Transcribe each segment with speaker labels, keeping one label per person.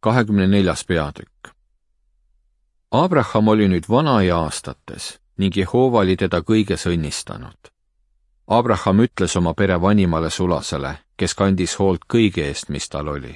Speaker 1: 24. peatükk. Abraham oli nüüd vana ja aastates ning Jehova oli teda kõiges õnnistanud. Abraham ütles oma pere vanimale sulasele, kes kandis hoolt kõige eest, mis tal oli.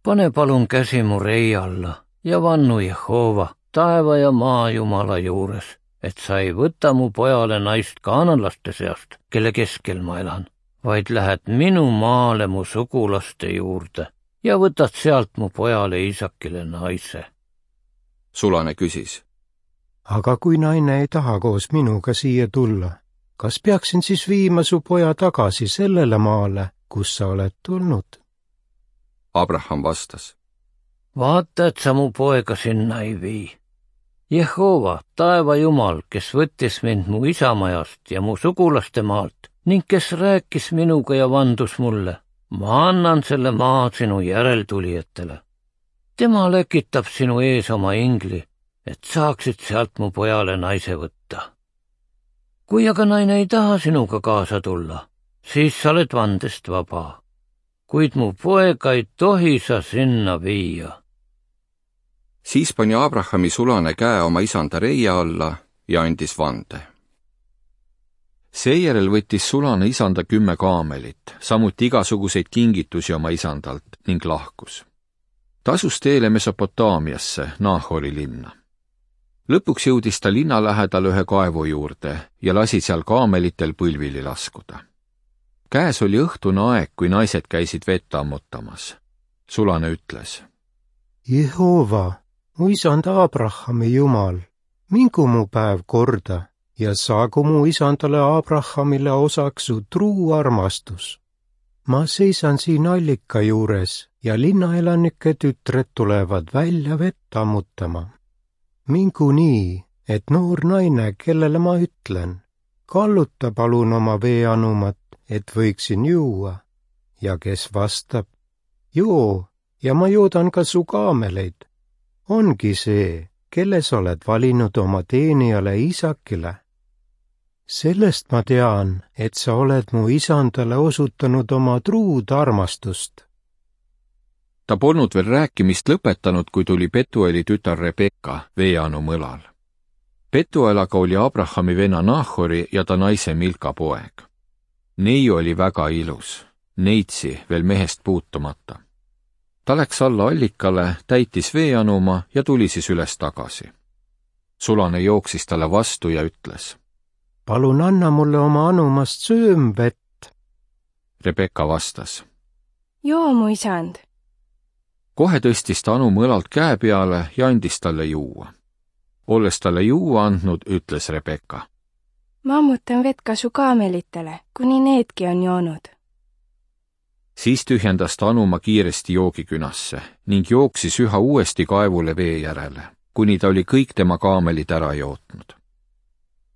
Speaker 2: Pane palun käsi mu rei alla ja vannu Jehova, taeva ja maa Jumala juures, et sa ei võta mu pojale naist kaananlaste seast, kelle keskel ma elan, vaid lähed minu maale mu sugulaste juurde ja võtad sealt mu pojale Iisakile naise.
Speaker 1: Sulane küsis.
Speaker 3: Aga kui naine ei taha koos minuga siia tulla, kas peaksin siis viima su poja tagasi sellele maale, kus sa oled tulnud?
Speaker 1: Abraham vastas.
Speaker 2: Vaata, et sa mu poega sinna ei vii. Jehova, taeva Jumal, kes võttis mind mu isamajast ja mu sugulaste maalt ning kes rääkis minuga ja vandus mulle, ma annan selle maa sinu järeltulijatele. Tema lekitab sinu ees oma ingli, et saaksid sealt mu pojale naise võtta. Kui aga naine ei taha sinuga kaasa tulla, siis sa oled vandest vaba, kuid mu poega ei tohi sa sinna viia.
Speaker 1: Siis pani Abrahami sulane käe oma isanda reia alla ja andis vande. Seejärel võttis sulane isanda 10 kaamelit, samuti igasuguseid kingitusi oma isandalt ning lahkus. Ta asus teele Mesopotaamiasse, Nahori linna. Lõpuks jõudis ta linna lähedal ühe kaevu juurde ja lasi seal kaamelitel põlvili laskuda. Käes oli õhtune aeg, kui naised käisid vett ammutamas. Sulane ütles.
Speaker 3: Jehova, mu isand Abrahami Jumal, mingu mu päev korda ja saagu mu isandale Abrahamile osaks su truu armastus. Ma seisan siin allika juures ja linnaelanike tütred tulevad välja vett ammutama. Mingu nii, et noor naine, kellele ma ütlen, kalluta palun oma veeanumat, et võiksin juua, ja kes vastab, joo, ja ma joodan ka su kaameleid, ongi see, kelle sa oled valinud oma teenijale Iisakile. Sellest ma tean, et sa oled mu isandale osutanud oma truud armastust.
Speaker 1: Ta polnud veel rääkimist lõpetanud, kui tuli Betueli tütar Rebekka veeanu mõlal. Betuelaga oli Abrahami venna Nahori ja ta naise Milka poeg. Neiu oli väga ilus, neitsi veel mehest puutumata. Ta läks alla allikale, täitis veeanuma ja tuli siis üles tagasi. Sulane jooksis talle vastu ja ütles.
Speaker 3: Palun anna mulle oma anumast söömvett.
Speaker 1: Rebekka vastas.
Speaker 4: Joo, mu isand.
Speaker 1: Kohe tõstis ta anu mõlalt käe peale ja andis talle juua. Olles talle juua andnud, ütles Rebekka.
Speaker 4: Ma ammutan vett ka su kaamelitele, kuni needki on joonud.
Speaker 1: Siis tühjendas ta anuma kiiresti joogikünasse ning jooksis üha uuesti kaevule vee järele, kuni ta oli kõik tema kaamelid ära jootnud.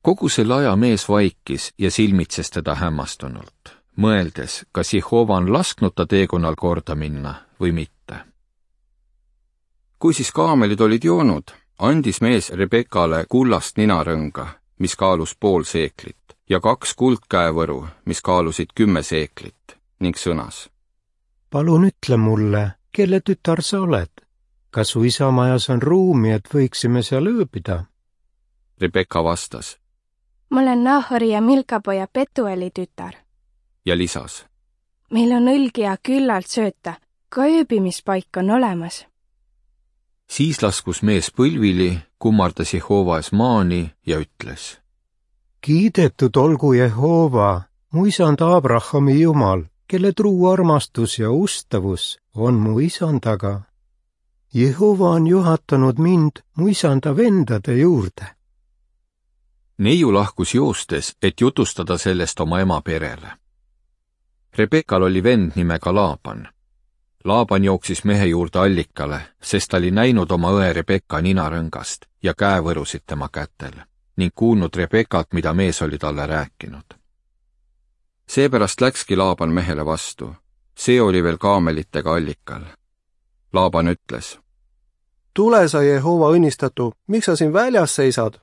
Speaker 1: Kogu selle aja mees vaikis ja silmitses teda hämmastunult, mõeldes, kas Jehova on lasknud ta teekonnal korda minna või mitte. Kui siis kaamelid olid joonud, andis mees Rebekale kullast ninarõnga, mis kaalus 0,5 seeklit, ja 2 kuldkäevõru, mis kaalusid 10 seeklit, ning sõnas.
Speaker 3: Palun ütle mulle, kelle tütar sa oled? Kas su isamajas on ruumi, et võiksime seal ööbida?
Speaker 1: Rebekka vastas.
Speaker 4: Ma olen Nahori ja Milka poja Betueli tütar.
Speaker 1: Ja lisas.
Speaker 4: Meil on õlgi ja küllalt sööta, ka ööbimispaik on olemas.
Speaker 1: Siis laskus mees põlvili, kummardas Jehova ees maani ja ütles.
Speaker 3: Kiidetud olgu Jehova, mu isand Abrahami Jumal, kelle truu armastus ja ustavus on mu isandaga. Jehova on juhatanud mind mu isanda vendade juurde.
Speaker 1: Neiu lahkus joostes, et jutustada sellest oma ema perele. Rebekal oli vend nimega Laaban. Laaban jooksis mehe juurde allikale, sest ta oli näinud oma õe Rebekka ninarõngast ja käevõrusid tema kätel ning kuulnud Rebekalt, mida mees oli talle rääkinud. Seepärast läkski Laaban mehele vastu. See oli veel kaamelitega allikal. Laaban ütles.
Speaker 5: Tule sa Jehova õnnistatu, miks sa siin väljas seisad?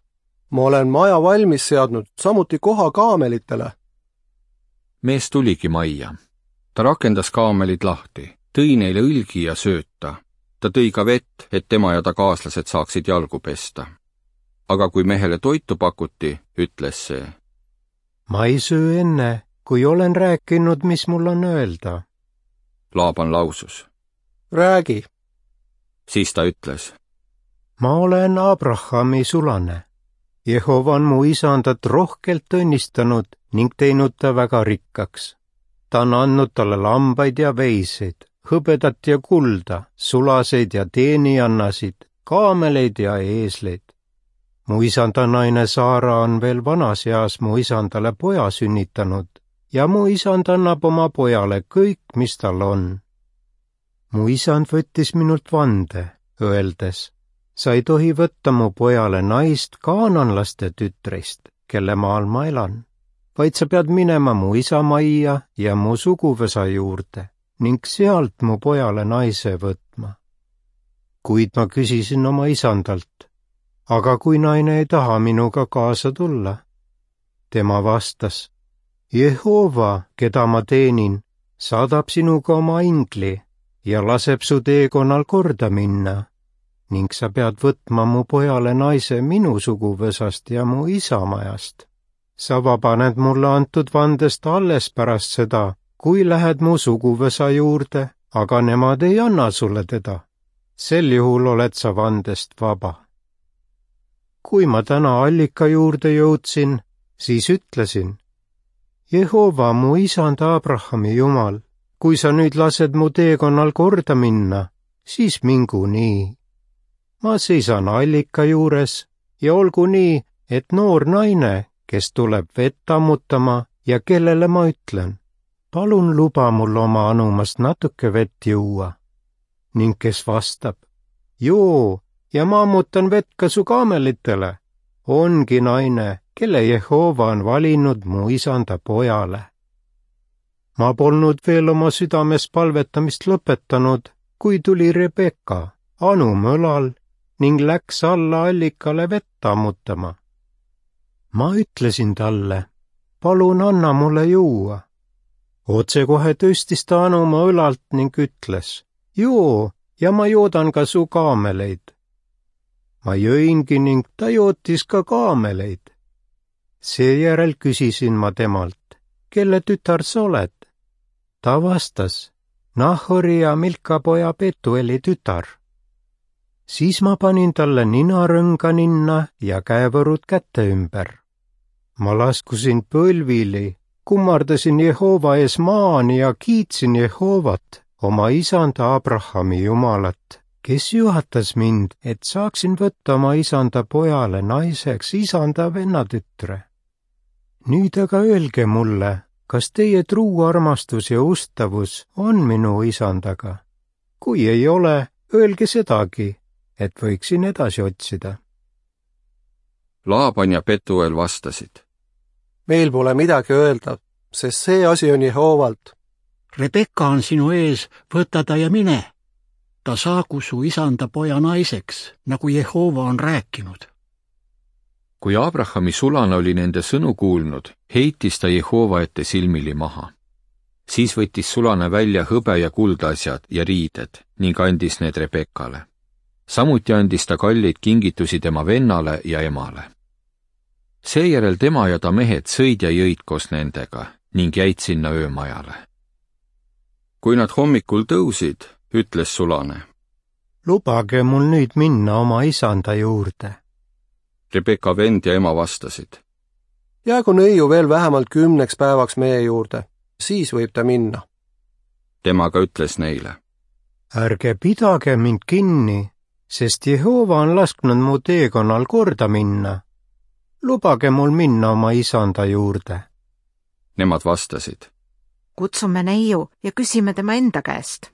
Speaker 5: Ma olen maja valmis seadnud, samuti koha kaamelitele.
Speaker 1: Mees tuligi majja. Ta rakendas kaamelid lahti, tõi neile õlgi ja sööta ta tõi ka vett, et tema ja ta kaaslased saaksid jalgu pesta. Aga kui mehele toitu pakuti, ütles see:
Speaker 3: ma ei söö enne, kui olen rääkinud, mis mul on öelda.
Speaker 1: Laaban lausus:
Speaker 5: räägi.
Speaker 1: siis ta ütles:
Speaker 3: ma olen Abrahami sulane. Jehova on mu isandat rohkelt õnnistanud ning teinud ta väga rikkaks. Ta on andnud talle lambaid ja veiseid, hõbedat ja kulda, sulaseid ja teeniannasid, kaameleid ja eesleid. Mu isanda naine Saara on veel vanas eas mu isandale poja sünnitanud ja mu isand annab oma pojale kõik, mis tal on. Mu isand võttis minult vande, öeldes: sa ei tohi võtta mu pojale naist kaananlaste tütrist, kelle maal ma elan, vaid sa pead minema mu isa majja ja mu suguvõsa juurde ning sealt mu pojale naise võtma. Kuid ma küsisin oma isandalt: aga kui naine ei taha minuga kaasa tulla? Tema vastas: Jehova, keda ma teenin, saadab sinuga oma ingli ja laseb su teekonnal korda minna ning sa pead võtma mu pojale naise minu suguvõsast ja mu isa majast. Sa vabaned mulle antud vandest alles pärast seda, kui lähed mu suguvõsa juurde, aga nemad ei anna sulle teda. Sel juhul oled sa vandest vaba. Kui ma täna allika juurde jõudsin, siis ütlesin: Jehova, mu isanda Abrahami Jumal, kui sa nüüd lased mu teekonnal korda minna, siis mingu nii. Ma seisan allika juures ja olgu nii, et noor naine, kes tuleb vett ammutama ja kellele ma ütlen: palun luba mul oma anumast natuke vett juua. Ning kes vastab: joo, ja ma ammutan vett ka su kaamelitele, ongi naine, kelle Jehova on valinud mu isanda pojale. Ma polnud veel oma südames palvetamist lõpetanud, kui tuli Rebeka, anum õlal, ning läks alla allikale vett ammutama. Ma ütlesin talle: palun anna mulle juua. Otsekohe tõstis ta anuma õlalt ning ütles: joo, ja ma joodan ka su kaameleid. Ma jõingi ning ta jootis ka kaameleid. Seejärel küsisin ma temalt: kelle tütar sa oled? Ta vastas: Nahori ja Milka poja Petueli tütar. Siis ma panin talle ninarõnga ninna ja käevõrud käte ümber. Ma laskusin põlvili, kummardasin Jehova ees maani ja kiitsin Jehovat, oma isanda Abrahami Jumalat, kes juhatas mind, et saaksin võtta oma isanda pojale naiseks isanda vennatütre. Nüüd aga öelge mulle, kas teie truu armastus ja ustavus on minu isandaga? Kui ei ole, öelge sedagi, et võiksin edasi otsida.
Speaker 1: Laaban ja Petuel vastasid:
Speaker 5: meil pole midagi öelda, sest see asi on Jehovalt.
Speaker 6: Rebeka on sinu ees, võta ta ja mine. Ta saagu su isanda poja naiseks, nagu Jehova on rääkinud.
Speaker 1: Kui Abrahami sulane oli nende sõnu kuulnud, heitis ta Jehova ette silmili maha. Siis võttis sulane välja hõbe ja kuldasjad ja riided ning andis need Rebekale. Samuti andis ta kalleid kingitusi tema vennale ja emale. Seejärel tema ja ta mehed sõid ja jõid koos nendega ning jäid sinna öömajale. Kui nad hommikul tõusid, ütles sulane:
Speaker 3: lubage mul nüüd minna oma isanda juurde.
Speaker 1: Rebeka vend ja ema vastasid:
Speaker 5: jäägu neiu veel vähemalt 10 päevaks meie juurde, siis võib ta minna.
Speaker 1: Tema ka ütles neile:
Speaker 3: ärge pidage mind kinni, sest Jehova on lasknud mu teekonnal korda minna. Lubage mul minna oma isanda juurde.
Speaker 1: Nemad vastasid:
Speaker 7: kutsume neiu ja küsime tema enda käest.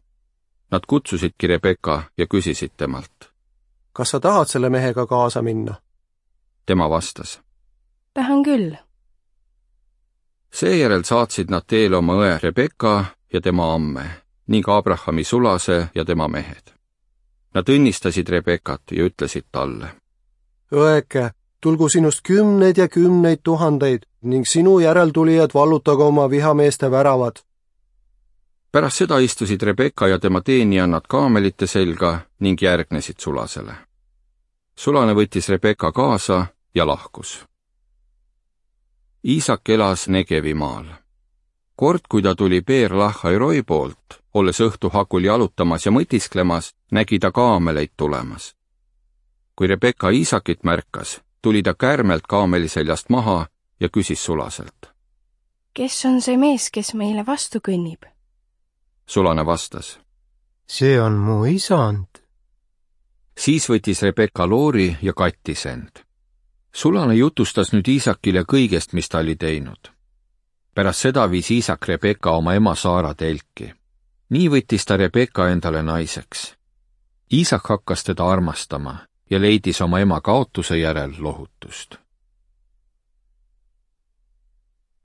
Speaker 1: Nad kutsusidki Rebeka ja küsisid temalt:
Speaker 5: kas sa tahad selle mehega kaasa minna?
Speaker 1: Tema vastas:
Speaker 4: tahan küll.
Speaker 1: Seejärel saatsid nad teele oma õe Rebeka ja tema amme ning Abrahami sulase ja tema mehed. Nad õnnistasid Rebekat ja ütlesid talle:
Speaker 5: õeke, tulgu sinust 10 ja 10 000 ning sinu järeltulijad vallutagu oma vihameeste väravad.
Speaker 1: pärast seda istusid Rebecca ja tema teenijannad kaamelite selga ning järgnesid Sulasele. Sulane võttis Rebecca kaasa ja lahkus. Iisak elas Negevi maal. Kord, kui ta tuli Beer-Lahai-Roi poolt, olles õhtu hakul jalutamas ja mõtisklemas, nägi ta kaameleid tulemas. Kui Rebecca Iisakit märkas, tuli ta kärmelt kaameli seljast maha ja küsis Sulaselt.
Speaker 4: Kes on see mees, kes meile vastu kõnnib?
Speaker 1: Sulane vastas.
Speaker 3: See on mu isand.
Speaker 1: Siis võttis Rebecca loori ja kattis end. Sulane jutustas nüüd Iisakile kõigest, mis ta oli teinud. Pärast seda viis Iisak Rebecca oma ema Saara telki. Nii võttis ta Rebecca endale naiseks. Iisak hakkas teda armastama ja leidis oma ema kaotuse järel lohutust.